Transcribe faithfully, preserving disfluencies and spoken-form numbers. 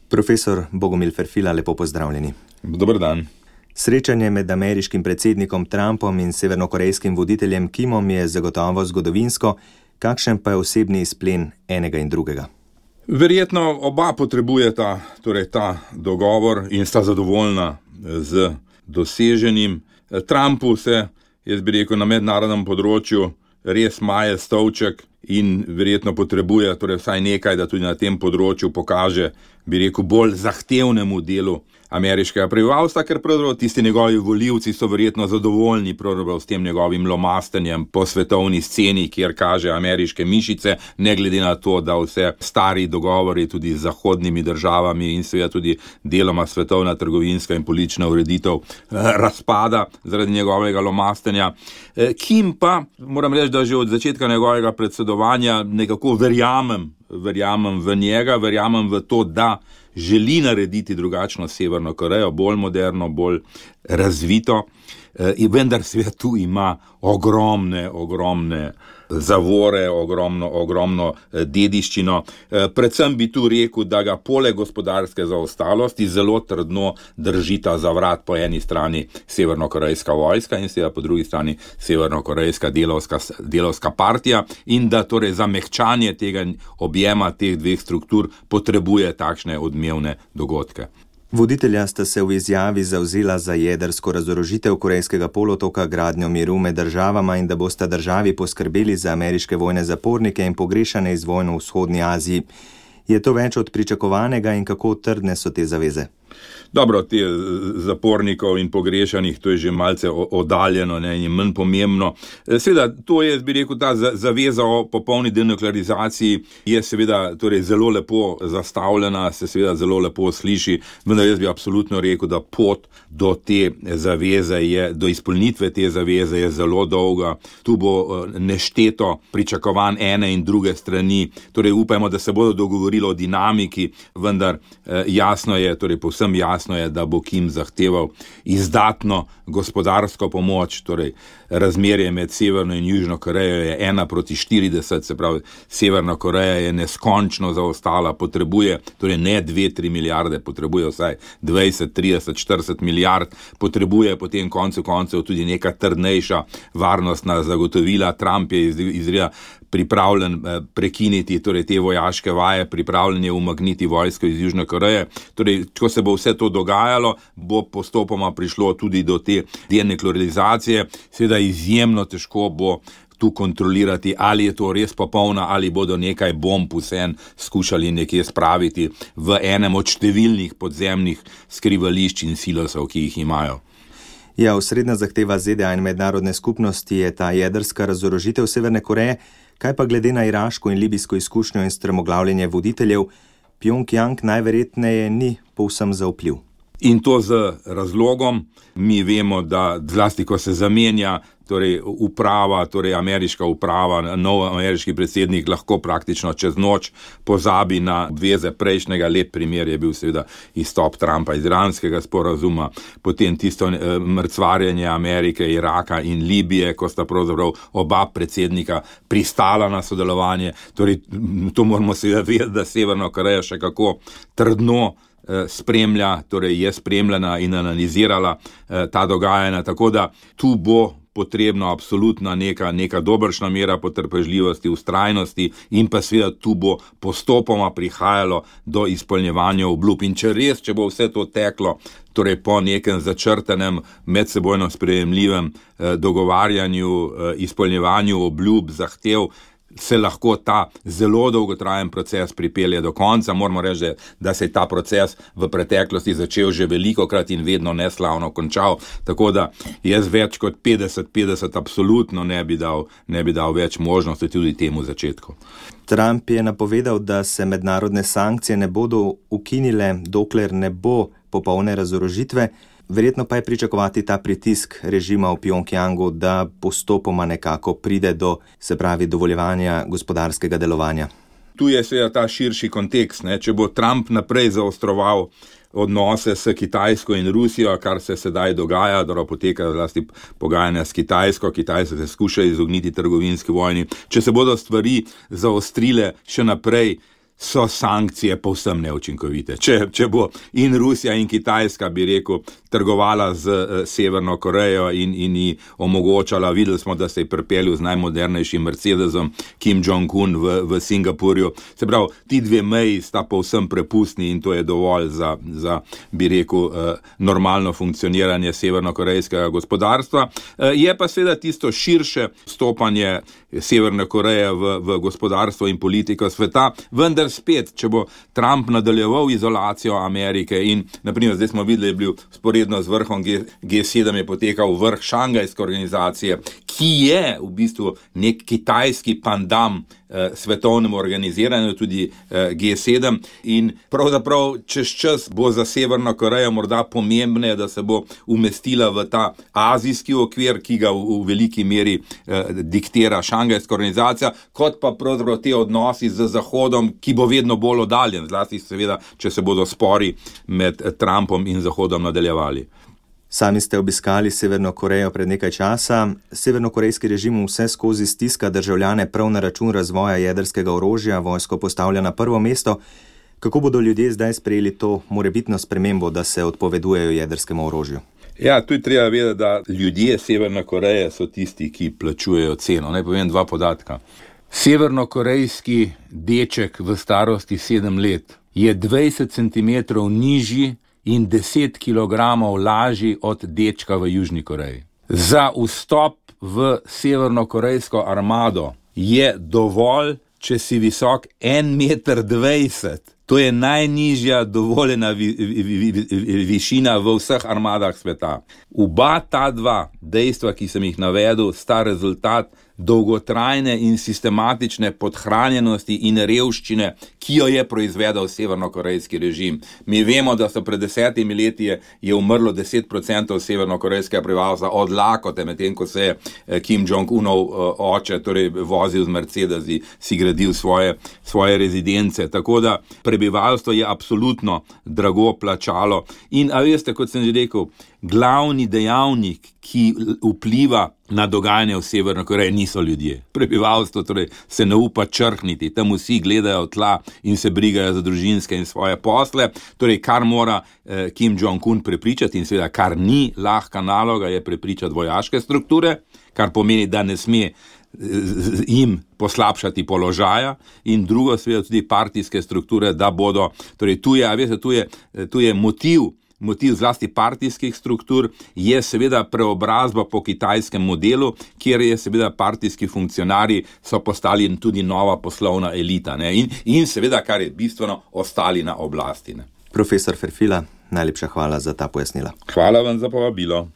Profesor Bogomil Ferfila, lepo pozdravljeni. Dober dan. Srečanje med ameriškim predsednikom Trumpom in severnokorejskim voditeljem Kimom je zagotovo zgodovinsko, kakšen pa je osebni izplen enega in drugega? Verjetno oba potrebujeta torej ta dogovor in sta zadovoljna z doseženim. Trumpu se, jaz bi rekel, na mednarodnem področju res maje stolček in verjetno potrebuje torej vsaj nekaj, da tudi na tem področju pokaže, bi rekel, bolj zahtevnemu delu ameriškega prebivalstva, ker pravzaprav tisti njegovi volivci so verjetno zadovoljni pravzaprav s tem njegovim lomastenjem po svetovni sceni, kjer kaže ameriške mišice, ne glede na to, da vse stari dogovori tudi z zahodnimi državami in seveda tudi deloma svetovna trgovinska in politična ureditev razpada zaradi njegovega lomastenja. Kim pa, moram reči, da že od začetka njegovega predsedovanja nekako verjamem, verjamem v njega, verjamem v to, da želi narediti drugačno Severno Korejo, bolj moderno, bolj razvito, in vendar seveda tu ima ogromne, ogromne zavore, ogromno, ogromno dediščino. Predvsem bi tu rekel, da ga poleg gospodarske zaostalosti zelo trdno držita za vrat po eni strani severnokorejska vojska in seveda po drugi strani severnokorejska delovska, delovska partija in da torej za mehčanje tega objema teh dveh struktur potrebuje takšne odmevne dogodke. Voditelja sta se v izjavi zavzela za jedrsko razorožitev Korejskega polotoka, gradnjo miru med državama in da bosta državi poskrbeli za ameriške vojne zapornike in pogrešane iz vojn v vzhodni Aziji. Je to več od pričakovanega in kako trdne so te zaveze? Dobro, te zapornikov in pogrešanih, to je že malce oddaljeno, ne, in manj pomembno. Seveda, to je, bi rekel, ta zaveza o popolni denuklearizaciji je seveda torej zelo lepo zastavljena, se seveda zelo lepo sliši, vendar jaz bi absolutno rekel, da pot do te zaveze je, do izpolnitve te zaveze je zelo dolga. Tu bo nešteto pričakovanj ene in druge strani, torej upajmo, da se bodo dogovorili o dinamiki, vendar jasno je, torej povsem jasno je, da bo Kim zahteval izdatno gospodarsko pomoč, torej razmerje med Severno in Južno Korejo je ena proti štirideset, se pravi, Severna Koreja je neskončno zaostala, potrebuje, torej ne dve, tri milijarde, potrebuje vsaj dvajset, trideset, štirideset milijard, potrebuje potem koncu koncev tudi neka trdnejša varnostna zagotovila. Trump je izredno pripravljen prekiniti torej te vojaške vaje, pripravljen je umakniti vojsko iz Južne Koreje. Torej, ko se bo vse to dogajalo, bo postopoma prišlo tudi do te denuklearizacije. Seveda izjemno težko bo tu kontrolirati, ali je to res popolna, ali bodo nekaj bomb vsem skušali nekje spraviti v enem od številnih podzemnih skrivališč in silosov, ki jih imajo. Ja, osrednja zahteva Z D A in mednarodne skupnosti je ta jedrska razorožitev Severne Koreje. Kaj pa glede na iraško in libijsko izkušnjo in strmoglavljenje voditeljev, Pjongjang najverjetneje ni povsem zaupljiv. In to z razlogom. Mi vemo, da zlasti, ko se zamenja torej uprava, torej ameriška uprava, nov ameriški predsednik lahko praktično čez noč pozabi na obveze prejšnjega. Lep primer je bil seveda izstop Trumpa iz iranskega sporazuma, potem tisto mrcvarjenje Amerike, Iraka in Libije, ko sta pravzaprav oba predsednika pristala na sodelovanje. Torej, to moramo seveda vedeti, da Severna Koreja še kako trdno spremlja, torej je spremljena in analizirala eh, ta dogajanja, tako da tu bo potrebno absolutna neka, neka dobršna mera potrpežljivosti, vztrajnosti in pa seveda tu bo postopoma prihajalo do izpolnjevanja obljub. In če res, če bo vse to teklo, torej po nekem začrtanem, medsebojno sprejemljivem eh, dogovarjanju, eh, izpolnjevanju obljub, zahtev, se lahko ta zelo dolgotrajen proces pripelje do konca. Moramo reči, da se je ta proces v preteklosti začel že velikokrat in vedno neslavno končal, tako da jaz več kot petdeset petdeset absolutno ne bi dal, ne bi dal več možnosti tudi temu začetku. Trump je napovedal, da se mednarodne sankcije ne bodo ukinile, dokler ne bo popolne razorožitve. Verjetno pa je pričakovati ta pritisk režima v Pjongjangu, da postopoma nekako pride do, se pravi, dovoljevanja gospodarskega delovanja. Tu je seveda ta širši kontekst, ne? Če bo Trump naprej zaostroval odnose s Kitajsko in Rusijo, kar se sedaj dogaja, da poteka zlasti pogajanja s Kitajsko, Kitajska se skuša izogniti trgovinski vojni. Če se bodo stvari zaostrile še naprej, so sankcije povsem neučinkovite. Če, če bo in Rusija in Kitajska, bi rekel, trgovala z uh, Severno Korejo in, in ji omogočala, videli smo, da se je pripeljal z najmodernejšim Mercedesom Kim Jong-un v, v Singapurju. Se pravi, ti dve meji sta povsem prepustni in to je dovolj za, za bi rekel, uh, normalno funkcioniranje severnokorejskega gospodarstva. Uh, je pa seveda tisto širše stopanje Severne Koreje v, v gospodarstvo in politiko sveta, vendar spet, če bo Trump nadaljeval izolacijo Amerike in, naprimer, zdaj smo videli, je bil sporedno z vrhom G sedem je potekal vrh Šangajske organizacije, ki je v bistvu nek kitajski pandam eh, svetovnemu organiziranju, tudi eh, G sedem, in pravzaprav čez čas bo za Severno Korejo morda pomembne, da se bo umestila v ta azijski okvir, ki ga v, v veliki meri eh, diktira Šangajska organizacija, kot pa pravzaprav te odnosi z Zahodom, ki bo vedno bolj oddaljen, zlasti seveda, če se bodo spori med Trumpom in Zahodom nadaljevali. Sami ste obiskali Severno Korejo pred nekaj časa. Severnokorejski režim vse skozi stiska državljane prav na račun razvoja jedrskega orožja, vojsko postavlja na prvo mesto. Kako bodo ljudje zdaj sprejeli to morebitno spremembo, da se odpovedujejo jedrskemu orožju? Ja, tu je treba vedeti, da ljudje Severne Koreje so tisti, ki plačujejo ceno. Naj povem dva podatka. Severnokorejski deček v starosti sedem let je dvajset centimetrov nižji in deset kilogramov lažji od dečka v Južni Koreji. Za vstop v severnokorejsko armado je dovolj, če si visok en meter dvajset. To je najnižja dovoljena vi, vi, vi, vi, višina v vseh armadah sveta. Oba ta dva dejstva, ki sem jih navedel, sta rezultat dolgotrajne in sistematične podhranjenosti in revščine, ki jo je proizvedel severnokorejski režim. Mi vemo, da so pred desetimi leti je, je umrlo deset procentov severnokorejskega prebivalstva od lakote, medtem ko se je Kim Jong-unov oče, torej vozil z Mercedesi, si gradil svoje, svoje rezidence. Tako da prebivalstvo je absolutno drago plačalo. In a veste, kot sem že rekel, glavni dejavnik, ki vpliva na dogajanje v Severni Koreji, niso ljudje. Prebivalstvo torej se ne upa črhniti, tam vsi gledajo tla in se brigajo za družinske in svoje posle. Torej, kar mora eh, Kim Jong-un prepričati in seveda kar ni lahka naloga, je prepričati vojaške strukture, kar pomeni, da ne sme jim poslabšati položaja, in drugo seveda tudi partijske strukture, da bodo, torej tu je, a veste, tu je, tu je motiv, motiv zlasti partijskih struktur, je seveda preobrazba po kitajskem modelu, kjer je seveda partijski funkcionarji so postali tudi nova poslovna elita, ne? In, in seveda, kar je bistveno, ostali na oblasti. Ne? Profesor Ferfila, najlepša hvala za ta pojasnila. Hvala vam za povabilo.